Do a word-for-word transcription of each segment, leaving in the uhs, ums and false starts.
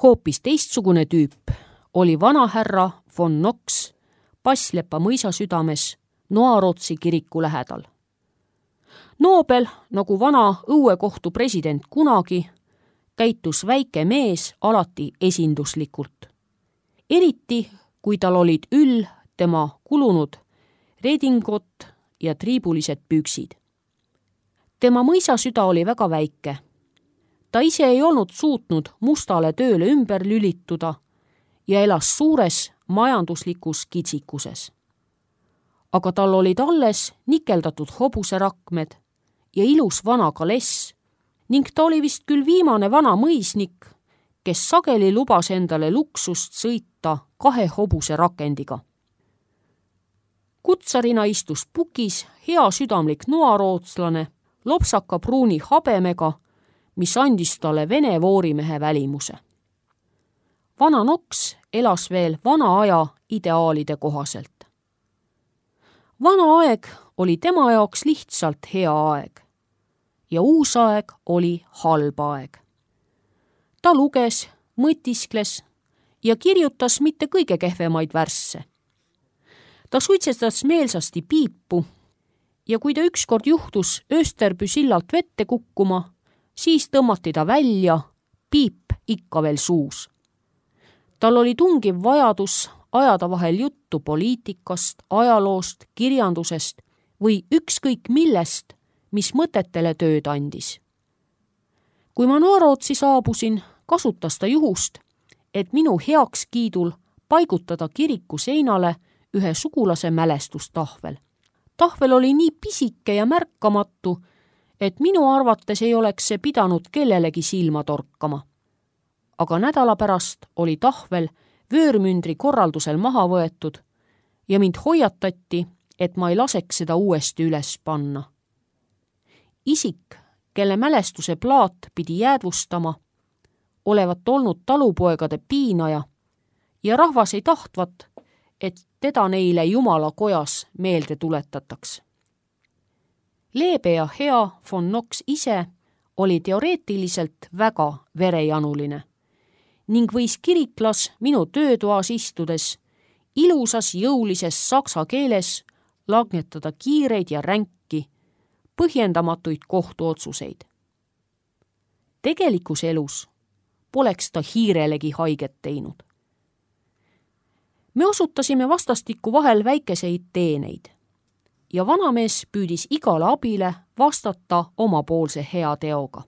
Hoopis teistsugune tüüp oli vanahärra von Knox Passlepa mõisa südames Noarootsi kiriku lähedal. Nobel, nagu vana õuekohtu president kunagi, käitus väike mees alati esinduslikult. Eriti, kui tal olid üll tema kulunud redingot ja triibulised püksid. Tema mõisasüda oli väga väike. Ta ise ei olnud suutnud mustale tööle ümber lülituda ja elas suures majanduslikus kitsikuses. Aga tal olid alles nikeldatud hobuserakmed ja ilus vana kaless ning ta oli vist küll viimane vana mõisnik, kes sageli lubas endale luksust sõita kahe hobuse rakendiga. Kutsarina istus pukis hea südamlik noarootslane, lopsaka pruuni habemega, mis andis talle vene voorimehe välimuse. Vana Knox elas veel vana aja ideaalide kohaselt. Vana aeg oli tema jaoks lihtsalt hea aeg ja uus aeg oli halb aeg. Ta luges, mõtiskles ja kirjutas mitte kõige kehvemaid värsse. Ta suitsetas meelsasti piipu ja kui ta ükskord juhtus Österby sillalt vette kukkuma, siis tõmmati ta välja, piip ikka veel suus. Tal oli tungiv vajadus ajada vahel juttu poliitikast, ajaloost, kirjandusest või ükskõik millest, mis mõtetele tööd andis. Kui ma Noarootsi saabusin, kasutas ta juhust, et minu heakskiidul paigutada kiriku seinale ühe sugulase mälestustahvel. Tahvel oli nii pisike ja märkamatu, et minu arvates ei oleks see pidanud kellelegi silma torkama. Aga nädala pärast oli tahvel vöörmündri korraldusel maha võetud ja mind hoiatati, et ma ei laseks seda uuesti üles panna. Isik, kelle mälestuse plaat pidi jäädvustama, olevat olnud talupoegade piinaja ja rahvas ei tahtvat, et teda neile Jumala kojas meelde tuletataks. Leebe ja hea von Knox ise oli teoreetiliselt väga verejanuline ning võis kiriklas minu töötoas istudes ilusas jõulises saksa keeles langetada kiireid ja ränki, põhjendamatuid kohtuotsuseid. Tegelikus elus poleks ta hiirelegi haiget teinud. Me osutasime vastastikku vahel väikeseid teeneid ja vanamees püüdis igale abile vastata omapoolse hea teoga.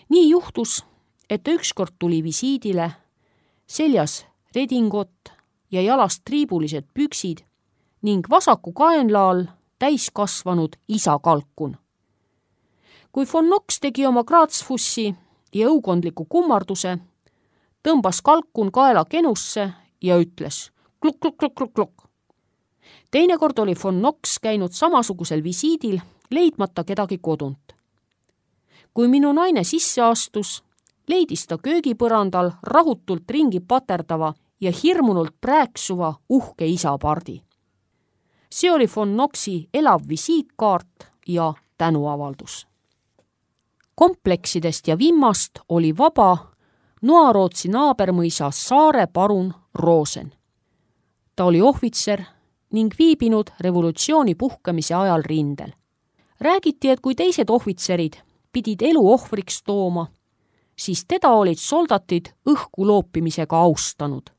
Nii juhtus, et ta ükskord tuli visiidile, seljas redingot ja jalast triibulised püksid ning vasaku kaenlaal täiskasvanud isa kalkun. Kui von Knox tegi oma kraatsfussi ja õukondliku kummarduse, tõmbas kalkun kaela kenusse ja ütles kluk-kluk-kluk-kluk-kluk. Teinekord oli von Knox käinud samasugusel visiidil, leidmata kedagi kodunt. Kui minu naine sisse astus, leidis ta köögipõrandal rahutult ringi paterdava ja hirmunult prääksuva uhke isapardi. See oli von Knoxi elav visiitkaart ja tänuavaldus. Kompleksidest ja vimmast oli vaba Noarootsi naabermõisa Saare parun Rosen. Ta oli ohvitser ning viibinud revolutsiooni puhkemise ajal rindel. Räägiti, et kui teised ohvitserid pidid elu ohvriks tooma, siis teda olid soldatid õhku loopimisega austanud.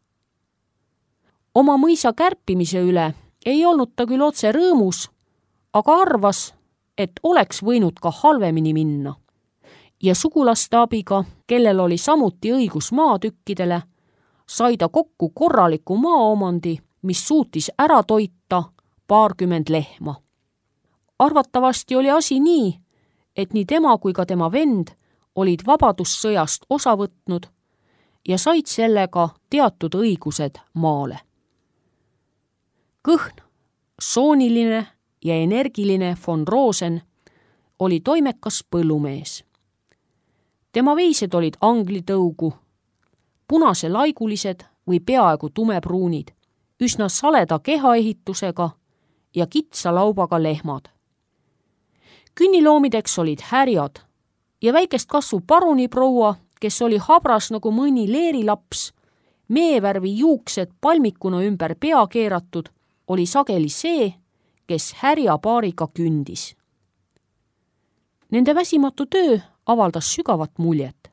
Oma mõisa kärpimise üle ei olnud ta küll otse rõõmus, aga arvas, et oleks võinud ka halvemini minna. Ja sugulaste abiga, kellel oli samuti õigus maatükkidele, sai ta kokku korraliku maaomandi, mis suutis ära toita paarkümmend lehma. Arvatavasti oli asi nii, et nii tema kui ka tema vend olid vabadussõjast osa võtnud ja said sellega teatud õigused maale. Kõhn, sooniline ja energiline von Rosen oli toimekas põllumees. Tema veised olid anglitõugu, punase laigulised või peaaegu tumepruunid, üsna saleda kehaehitusega ja kitsa laubaga lehmad. Künniloomideks olid härjad ja väikest kasvu paruniproua kes oli habras nagu mõni leerilaps, meevärvi juuksed palmikuna ümber pea keeratud, oli sageli see, kes härja paariga kündis. Nende väsimatu töö avaldas sügavat muljet.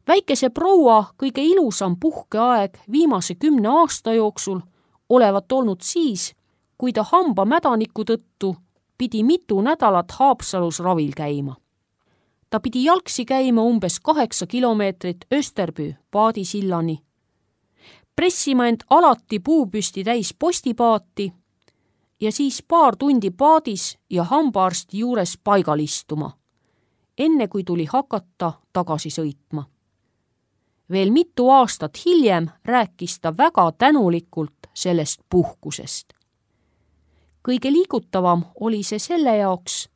Väikese proua kõige ilusam puhkeaeg viimase kümne aasta jooksul olevat olnud siis, kui ta hamba mädaniku tõttu pidi mitu nädalat Haapsalus ravil käima. Ta pidi jalgsi käima umbes kaheksa kilomeetrit Österbüü paadisillani, pressima end alati puupüsti täis postipaati ja siis paar tundi paadis ja hambaarsti juures paigal istuma, enne kui tuli hakata tagasi sõitma. Veel mitu aastat hiljem rääkis ta väga tänulikult sellest puhkusest. Kõige liigutavam oli see selle jaoks,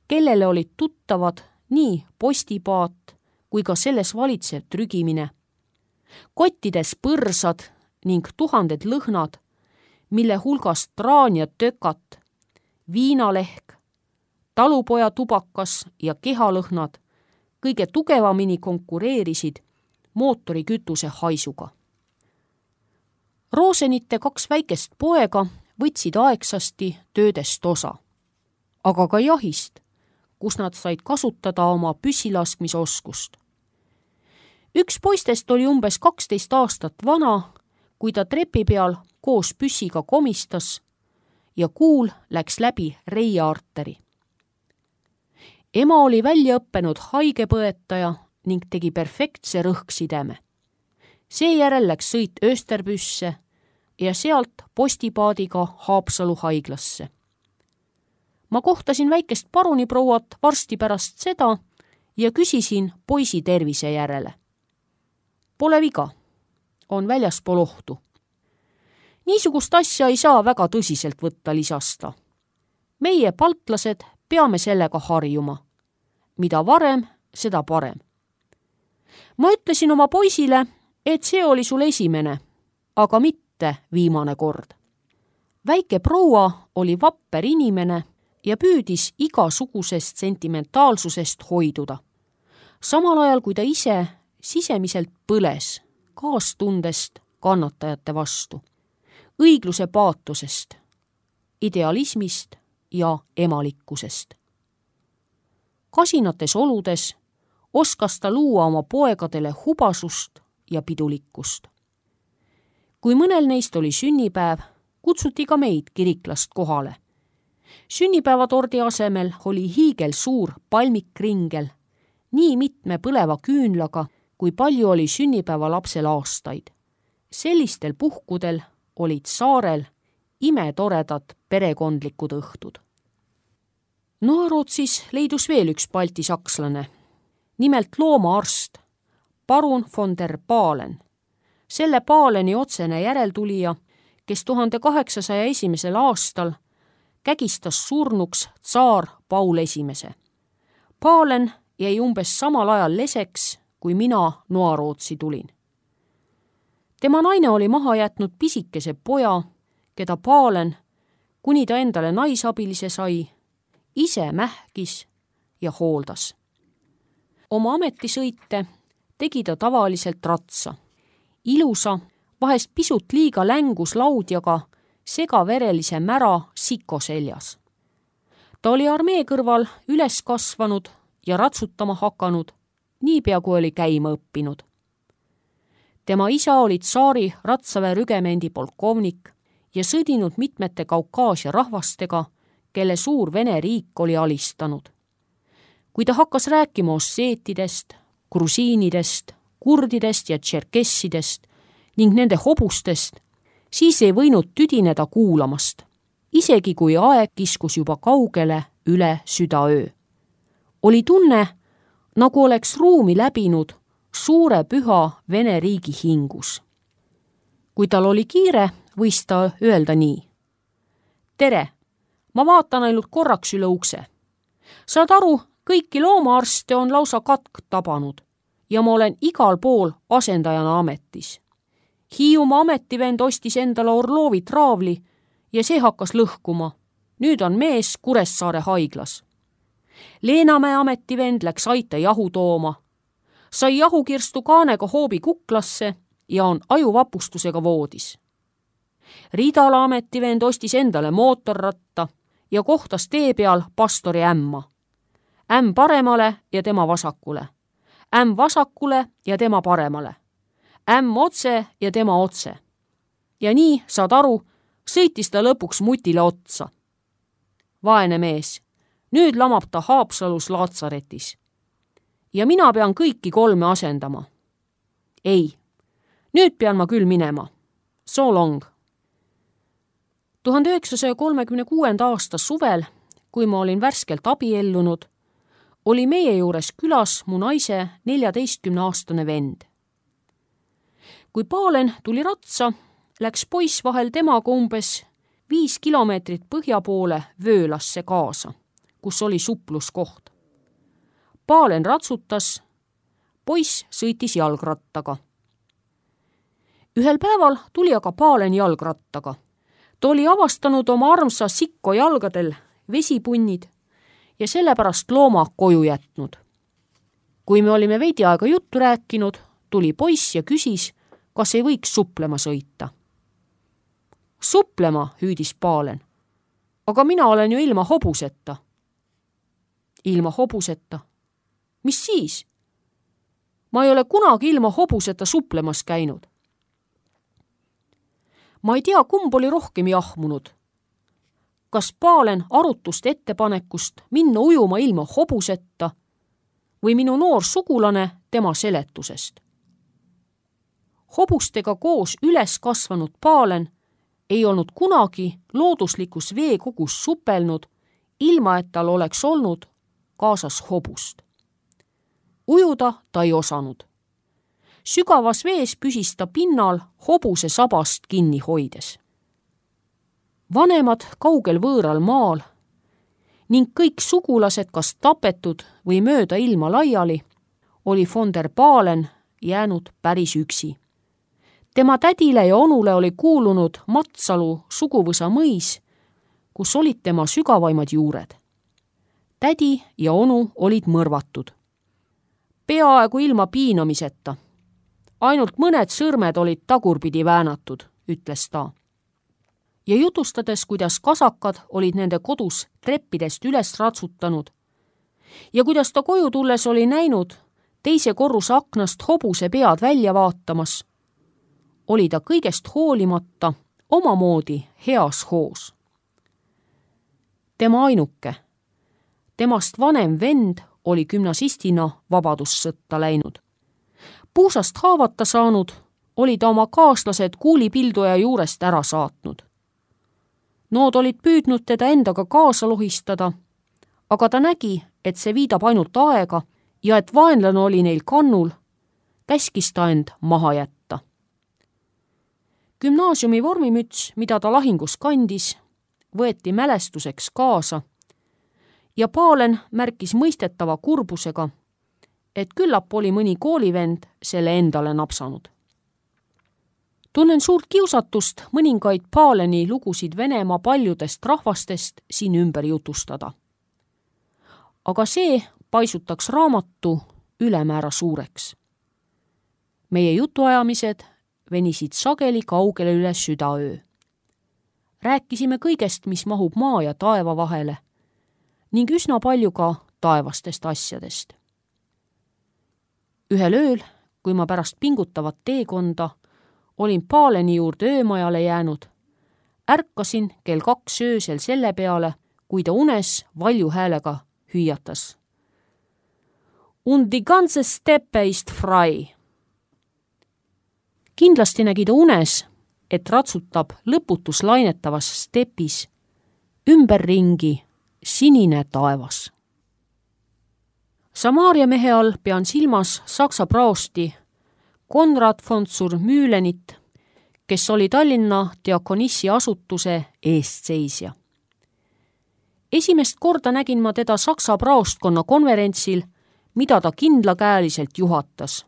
kellele olid tuttavad nii postipaat kui ka selles valitsev trügimine. Kottides põrsad ning tuhanded lõhnad, mille hulgas traan ja tökat, viinalehk, talupoja tubakas ja kehalõhnad kõige tugevamini konkureerisid mootorikütuse haisuga. Roosenite kaks väikest poega võtsid aegsasti töödest osa, aga ka jahist, kus nad said kasutada oma püssilaskmisoskust. Üks poistest oli umbes kaksteist aastat vana, kui ta trepi peal koos püssiga komistas ja kuul läks läbi reiearteri. Ema oli välja õppenud haigepõetaja ning tegi perfektse rõhksideme. Seejärel läks sõit Österbüsse ja sealt postipaadiga Haapsalu haiglasse. Ma kohtasin väikest paruniprouat varsti pärast seda ja küsisin poisi tervise järele. Pole viga, on väljaspool ohtu. Niisugust asja ei saa väga tõsiselt võtta, lisasta. Meie paltlased peame sellega harjuma. Mida varem, seda parem. Ma ütlesin oma poisile, et see oli sul esimene, aga mitte viimane kord. Väike proua oli vapper inimene ja püüdis igasugusest sentimentaalsusest hoiduda. Samal ajal, kui ta ise sisemiselt põles kaastundest kannatajate vastu, õigluse paatosest, idealismist ja emalikkusest. Kasinates oludes oskas ta luua oma poegadele hubasust ja pidulikkust. Kui mõnel neist oli sünnipäev, kutsuti ka meid kiriklast kohale. Sünnipäevatordi asemel oli hiigel suur palmikringel, nii mitme põleva küünlaga, kui palju oli sünnipäeva lapsel aastaid. Sellistel puhkudel olid saarel imetoredad perekondlikud õhtud. Noarootsis leidus veel üks baltisakslane, nimelt loomaarst, parun von der Pahlen. Selle Pahleni otsene järeltulija, kes tuhande kaheksasaja esimesel aastal kägistas surnuks tsaar Paul esimese. Pahlen jäi umbes samal ajal leseks, kui mina Noarootsi tulin. Tema naine oli maha jätnud pisikese poja, keda Pahlen, kuni ta endale naisabilise sai, ise mähkis ja hooldas. Oma ametisõite tegi ta tavaliselt ratsa. Ilusa, vahest pisut liiga längus laudjaga segaverelise mära siko seljas. Ta oli armee kõrval üles kasvanud ja ratsutama hakanud, niipea kui oli käima õppinud. Tema isa oli tsaari ratsaväe rügemendi polkovnik ja sõdinud mitmete Kaukaasia rahvastega, kelle suur Vene riik oli alistanud. Kui ta hakkas rääkima osseetidest, grusiinidest, kurdidest ja tšerkessidest ning nende hobustest, siis ei võinud tüdineda kuulamast, isegi kui aeg kiskus juba kaugele üle südaöö. Oli tunne, nagu oleks ruumi läbinud suure püha Vene riigi hingus. Kui tal oli kiire, võis ta öelda nii. Tere, ma vaatan ainult korraks üle ukse. Saad aru, kõiki loomaarste on lausa katk tabanud ja ma olen igal pool asendajana ametis. Hiiumaa ametivend ostis endale Orlovi traavli ja see hakkas lõhkuma. Nüüd on mees Kuressaare haiglas. Leenamäe ametivend läks aita jahu tooma. sai jahukirstu kaanega hoobi kuklasse ja on ajuvapustusega voodis. Riidala ametivend ostis endale mootorratta ja kohtas tee peal pastori ämma. Ämm paremale ja tema vasakule. Ämm vasakule ja tema paremale. Ämm otse ja tema otse. Ja nii, saad aru, sõitis ta lõpuks mutile otsa. Vaene mees, nüüd lamab ta Haapsalus laatsaretis. Ja mina pean kõiki kolme asendama. Ei, nüüd pean ma küll minema. So long. tuhande üheksasaja kolmekümne kuuenda aasta suvel, kui ma olin värskelt abiellunud, oli meie juures külas mu naise neljateistkümneaastane vend. Kui Paalen tuli ratsa, läks poiss vahel temaga umbes viis kilomeetrit põhja poole Vöölasse kaasa, kus oli supluskoht. Paalen ratsutas, poiss sõitis jalgrattaga. Ühel päeval tuli aga Paalen jalgrattaga. Ta oli avastanud oma armsa Sikko jalgadel vesipunnid ja sellepärast looma koju jätnud. Kui me olime veidi aega juttu rääkinud, tuli poiss ja küsis, kas ei võiks suplema sõita. Suplema, hüüdis Paalen. Aga mina olen ju ilma hobuseta. Ilma hobuseta? Mis siis? Ma ei ole kunagi ilma hobuseta suplemas käinud. Ma ei tea, kumb oli rohkem jahmunud. Kas Paalen arutust ettepanekust minna ujuma ilma hobuseta või minu noor sugulane tema seletusest. Hobustega koos üles kasvanud Paalen ei olnud kunagi looduslikus veekogus supelnud, ilma et tal oleks olnud kaasas hobust. Ujuda ta ei osanud. Sügavas vees püsis ta pinnal hobuse sabast kinni hoides. Vanemad kaugel võõral maal ning kõik sugulased kas tapetud või mööda ilma laiali, oli von der Paalen jäänud päris üksi. Tema tädile ja onule oli kuulunud Matsalu suguvõsa mõis, kus olid tema sügavaimad juured. Tädi ja onu olid mõrvatud. Peaaegu ilma piinamiseta. Ainult mõned sõrmed olid tagurpidi väänatud, ütles ta. Ja jutustades, kuidas kasakad olid nende kodus treppidest üles ratsutanud ja kuidas ta koju tulles oli näinud teise korruse aknast hobuse pead välja vaatamas, oli ta kõigest hoolimata omamoodi heas hoos. Tema ainuke, temast vanem vend oli gümnasistina vabadussõtta läinud. Puusast haavata saanud, oli ta oma kaaslased kuulipilduja juurest ära saatnud. Nood olid püüdnud teda endaga kaasa lohistada, aga ta nägi, et see viidab ainult aega ja et vaenlane oli neil kannul, käskis ta end maha jätta. Gümnaasiumi vormimüts, mida ta lahingus kandis, võeti mälestuseks kaasa ja Paalen märkis mõistetava kurbusega, et küllap oli mõni koolivend selle endale napsanud. Tunnen suurt kiusatust mõningaid Paaleni lugusid Venemaa paljudest rahvastest siin ümber jutustada. Aga see paisutaks raamatu ülemäära suureks. Meie jutuajamised venisid sageli kaugele üle südaöö. Rääkisime kõigest, mis mahub maa ja taeva vahele ning üsna palju ka taevastest asjadest. Ühel ööl, kui ma pärast pingutavat teekonda olin Paaleni juurde öömajale jäänud, ärkasin kell kaks öösel selle peale, kui ta unes valju häälega hüüatas. Und die ganze Steppe ist frei. Kindlasti nägi ta unes, et ratsutab lõputus lainetavas stepis ümberringi sinine taevas. Samaaria mehe all pean silmas Saksa praosti Konrad von zur Mühlenit, kes oli Tallinna diakonissi asutuse eestseisja. Esimest korda nägin ma teda Saksa praostkonna konverentsil, mida ta kindlakäeliselt juhatas,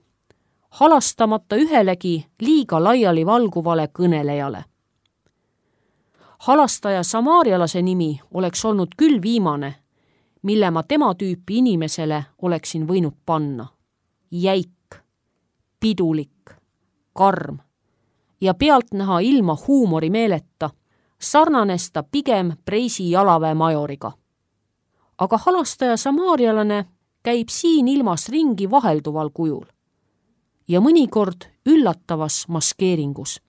halastamata ühelegi liiga laiali valguvale kõnelejale. Halastaja samaarialase nimi oleks olnud küll viimane, mille ma tema tüüpi inimesele oleksin võinud panna. Jäik. pidulik, karm ja pealtnäha ilma huumorimeeleta sarnanes ta pigem Preisi jalaväe majoriga. Aga halastaja samaarialane käib siin ilmas ringi vahelduval kujul ja mõnikord üllatavas maskeeringus.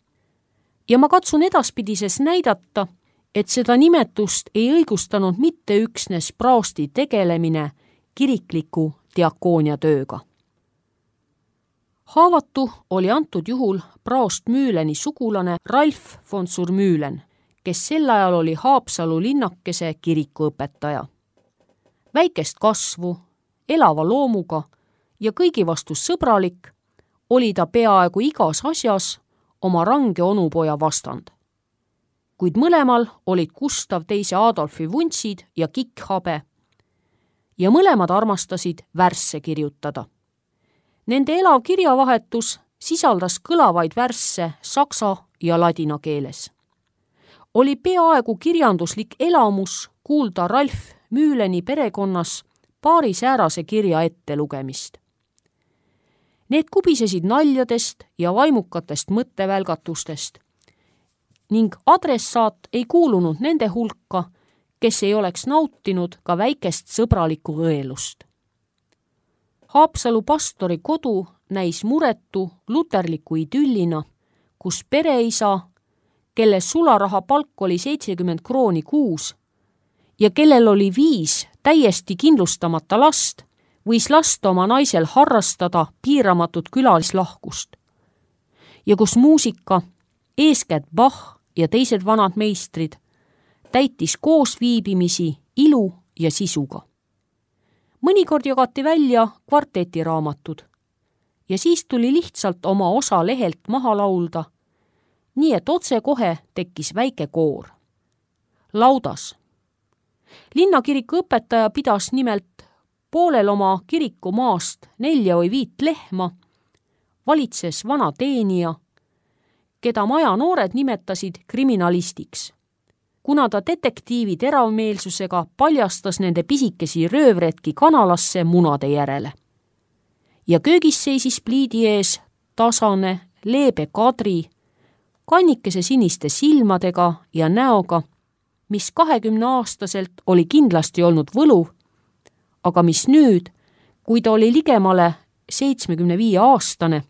Ja ma katsun edaspidises näidata, et seda nimetust ei õigustanud mitte üksnes praosti tegelemine kirikliku diakoonia tööga. Haavatu oli antud juhul praost Müüleni sugulane Ralf von Surmüülen, kes sel ajal oli Haapsalu linnakese kirikuõpetaja. Väikest kasvu, elava loomuga ja kõigi vastu sõbralik, oli ta peaaegu igas asjas oma range onupoja vastand. Kuid mõlemal olid Gustav teise Adolfi vuntsid ja kikkhabe ja mõlemad armastasid värsse kirjutada. Nende elav kirjavahetus sisaldas kõlavaid värsse saksa ja ladina keeles. Oli peaaegu kirjanduslik elamus kuulda Ralf Müüleni perekonnas paari säärase kirja ette lugemist. Need kubisesid naljadest ja vaimukatest mõttevälgatustest ning adressaat ei kuulunud nende hulka, kes ei oleks nautinud ka väikest sõbralikku õelust. Haapsalu pastori kodu näis muretu luterliku idüllina, kus pereisa, kelle sularaha palk oli seitsekümmend krooni kuus ja kellel oli viis täiesti kindlustamata last, võis lasta oma naisel harrastada piiramatut külalislahkust. Ja kus muusika, eeskätt Bach ja teised vanad meistrid, täitis koos viibimisi ilu ja sisuga. Mõnikord jagati välja kvartetiraamatud ja siis tuli lihtsalt oma osa lehelt maha laulda, nii et otse kohe tekkis väike koor. Laudas. Linnakiriku õpetaja pidas nimelt poolel oma kiriku maast nelja või viit lehma, valitses vana teenija, keda maja noored nimetasid kriminalistiks, kuna ta detektiivi teravmeelsusega paljastas nende pisikesi röövretki kanalasse munade järele. Ja köögis seisis pliidi ees tasane, leebe Kadri, kannikese siniste silmadega ja näoga, mis kahekümneaastaselt oli kindlasti olnud võluv, aga mis nüüd, kui ta oli ligemale seitsmekümne viie aastane,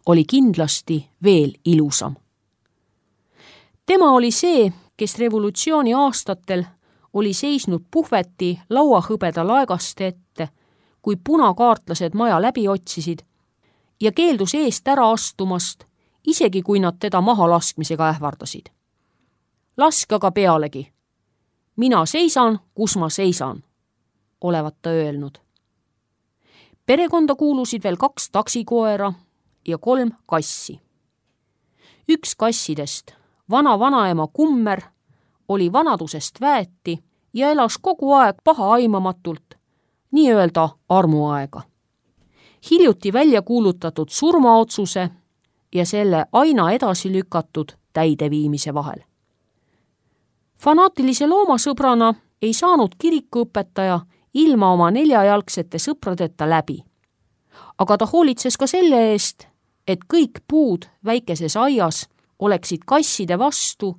oli kindlasti veel ilusam. Tema oli see, kes revolutsiooni aastatel oli seisnud puhveti lauahõbeda laegaste ette, kui punakaartlased maja läbi otsisid ja keeldus eest ära astumast, isegi kui nad teda maha laskmisega ähvardasid. Laske aga pealegi. Mina seisan, kus ma seisan, olevat ta öelnud. Perekonda kuulusid veel kaks taksikoera ja kolm kassi. Üks kassidest, vana vanaema Kummer, oli vanadusest väeti ja elas kogu aeg paha aimamatult, nii-öelda armuaega. Hiljuti välja kuulutatud surmaotsuse ja selle aina edasi lükatud täideviimise vahel. Fanaatilise loomasõbrana ei saanud kirikuõpetaja ilma oma neljajalgsete sõpradeta läbi. Aga ta hoolitses ka selle eest, et kõik puud väikeses aias oleksid kasside vastu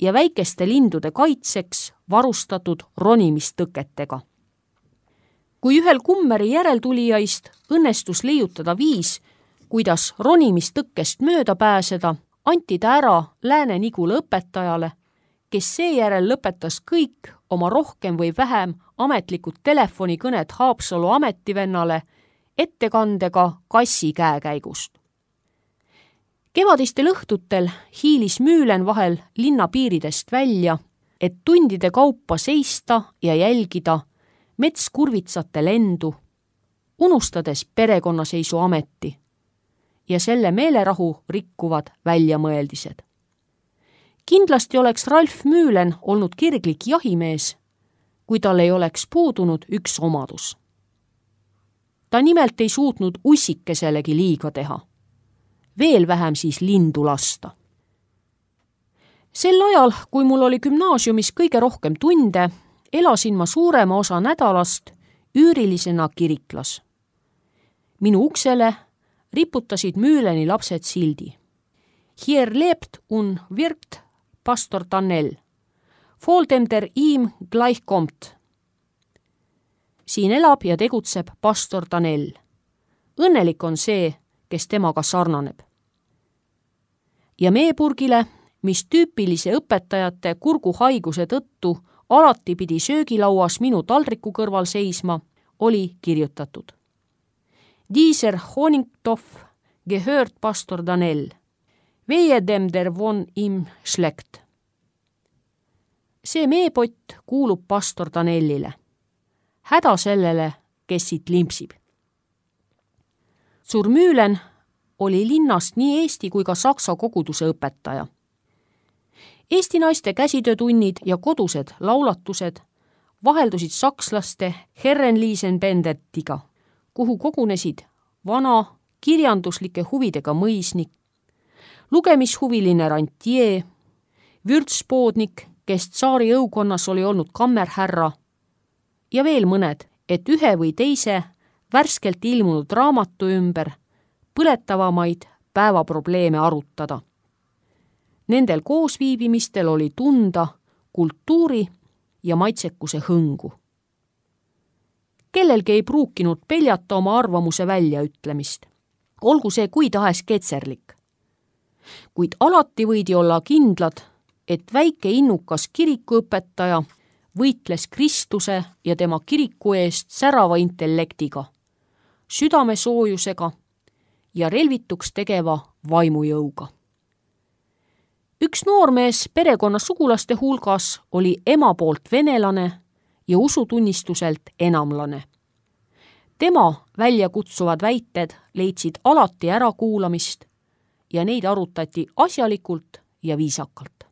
ja väikeste lindude kaitseks varustatud ronimistõketega. Kui ühel Kummeri järeltulijaist õnnestus leiutada viis, kuidas ronimistõkkest mööda pääseda, anti ta ära Lääne-Nigula õpetajale, kes seejärel lõpetas kõik oma rohkem või vähem ametlikud telefonikõned Haapsalu ametivennale ettekandega kassi käekäigust. Kevadistel õhtutel hiilis Müülen vahel linna piiridest välja, et tundide kaupa seista ja jälgida metskurvitsate lendu, unustades perekonnaseisu ameti ja selle meelerahu rikkuvad väljamõeldised. Kindlasti oleks Ralf Müülen olnud kirglik jahimees, kui tal ei oleks puudunud üks omadus. Ta nimelt ei suutnud ussikeselegi liiga teha, veel vähem siis lindu lasta. Sel ajal, kui mul oli gümnaasiumis kõige rohkem tunde, elasin ma suurema osa nädalast üürilisena kiriklas. Minu uksele riputasid Müüleni lapsed sildi. Hier lebt und wirkt pastor Tanel. Vor dem der ihm gleich kommt. Siin elab ja tegutseb pastor Tanel. Õnnelik on see, kes temaga sarnaneb. Ja meepurgile, mis tüüpilise õpetajate kurguhaiguse tõttu alati pidi söögilauas minu taldriku kõrval seisma, oli kirjutatud. Dieser Honigtopf gehört pastor Tanel. Wehe dem der von ihm schlägt. See meepott kuulub pastor Tanelile. Häda sellele, kes siit limpsib. Zur Mühlen oli linnast nii eesti kui ka saksa koguduse õpetaja. Eesti naiste käsitöötunnid ja kodused laulatused vaheldusid sakslaste Herrenliisenbendetiga, kuhu kogunesid vana kirjanduslike huvidega mõisnik, lugemishuviline rantjee, vürtspoodnik, kes tsaari õukonnas oli olnud kammerhärra ja veel mõned, et ühe või teise värskelt ilmunud raamatu ümber põletavamaid päevaprobleeme arutada. Nendel koosviibimistel oli tunda kultuuri ja maitsekuse hõngu. Kellelgi ei pruukinud peljata oma arvamuse väljaütlemist, olgu see kui tahes ketserlik. Kuid alati võidi olla kindlad, et väike innukas kirikuõpetaja võitles Kristuse ja tema kiriku eest särava intellektiga, südamesoojusega ja relvituks tegeva vaimujõuga. Üks noormees perekonna sugulaste hulgas oli ema poolt venelane ja usutunnistuselt enamlane. Tema väljakutsuvad väited leidsid alati ärakuulamist ja neid arutati asjalikult ja viisakalt.